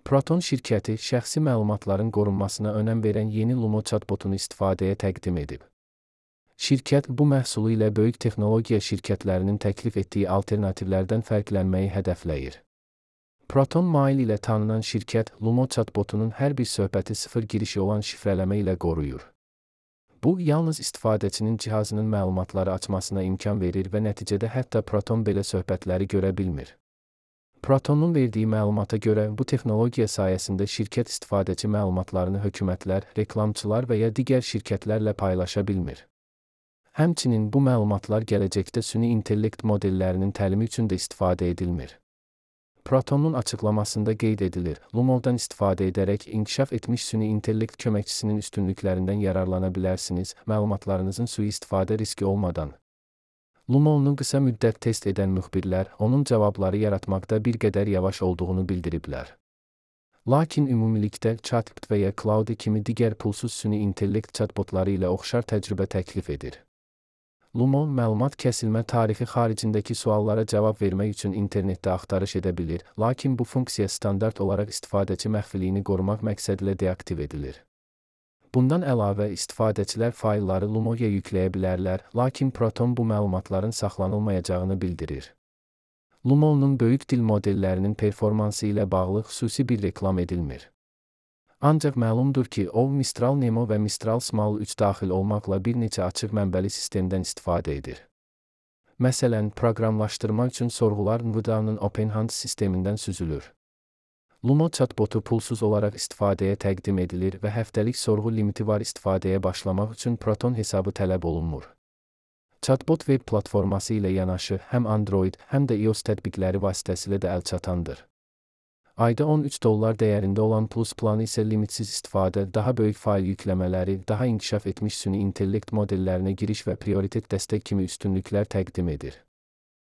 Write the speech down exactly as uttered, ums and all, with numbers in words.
Proton şirkəti şəxsi məlumatların qorunmasına önəm verən yeni Lumo chatbotunu istifadəyə təqdim edib. Şirkət bu məhsulu ilə böyük texnologiya şirkətlərinin təklif etdiyi alternativlərdən fərqlənməyi hədəfləyir. Proton Mail ilə tanınan şirkət Lumo chatbotunun hər bir söhbəti sıfır girişi olan şifrələmə ilə qoruyur. Bu, yalnız istifadəçinin cihazının məlumatları açmasına imkan verir və nəticədə hətta Proton belə söhbətləri görə bilmir. Protonun verdiyi məlumata görə bu texnologiya sayəsində şirkət istifadəçi məlumatlarını hökumətlər, reklamçılar və ya digər şirkətlərlə paylaşa bilmir. Həmçinin bu məlumatlar gələcəkdə süni intellekt modellərinin təlimi üçün də istifadə edilmir. Protonun açıqlamasında qeyd edilir, Lumo'dan istifadə edərək inkişaf etmiş süni intellekt köməkçisinin üstünlüklərindən yararlana bilərsiniz, məlumatlarınızın sui-istifadə riski olmadan. Lumo'nu qısa müddət test edən müxbirlər, onun cavabları yaratmaqda bir qədər yavaş olduğunu bildiriblər. Lakin ümumilikdə ChatGPT və ya Claude kimi digər pulsuz süni intellekt chatbotları ilə oxşar təcrübə təklif edir. Lumo, məlumat kəsilmə tarixi xaricindəki suallara cavab vermək üçün internetdə axtarış edə bilir, lakin bu funksiya standart olaraq istifadəçi məxfiliyini qorumaq məqsədilə deaktiv edilir. Bundan əlavə, istifadəçilər faylları Lumo'ya yükləyə bilərlər, lakin Proton bu məlumatların saxlanılmayacağını bildirir. Lumo'nun böyük dil modellərinin performansı ilə bağlı xüsusi bir reklam edilmir. Ancaq məlumdur ki, o, Mistral Nemo və Mistral Small üç daxil olmaqla bir neçə açıq mənbəli sistemdən istifadə edir. Məsələn, proqramlaşdırma üçün sorğular NVIDIA'nın OpenHand sistemindən süzülür. Lumo chatbotu pulsuz olaraq istifadəyə təqdim edilir və həftəlik sorğu limiti var istifadəyə başlamaq üçün Proton hesabı tələb olunmur. Chatbot web platforması ilə yanaşı həm Android, həm də iOS tətbiqləri vasitəsilə də əlçatandır. Ayda on üç dollar dəyərində olan Plus planı isə limitsiz istifadə, daha böyük fayl yükləmələri, daha inkişaf etmiş süni intellekt modellərinə giriş və prioritet dəstək kimi üstünlüklər təqdim edir.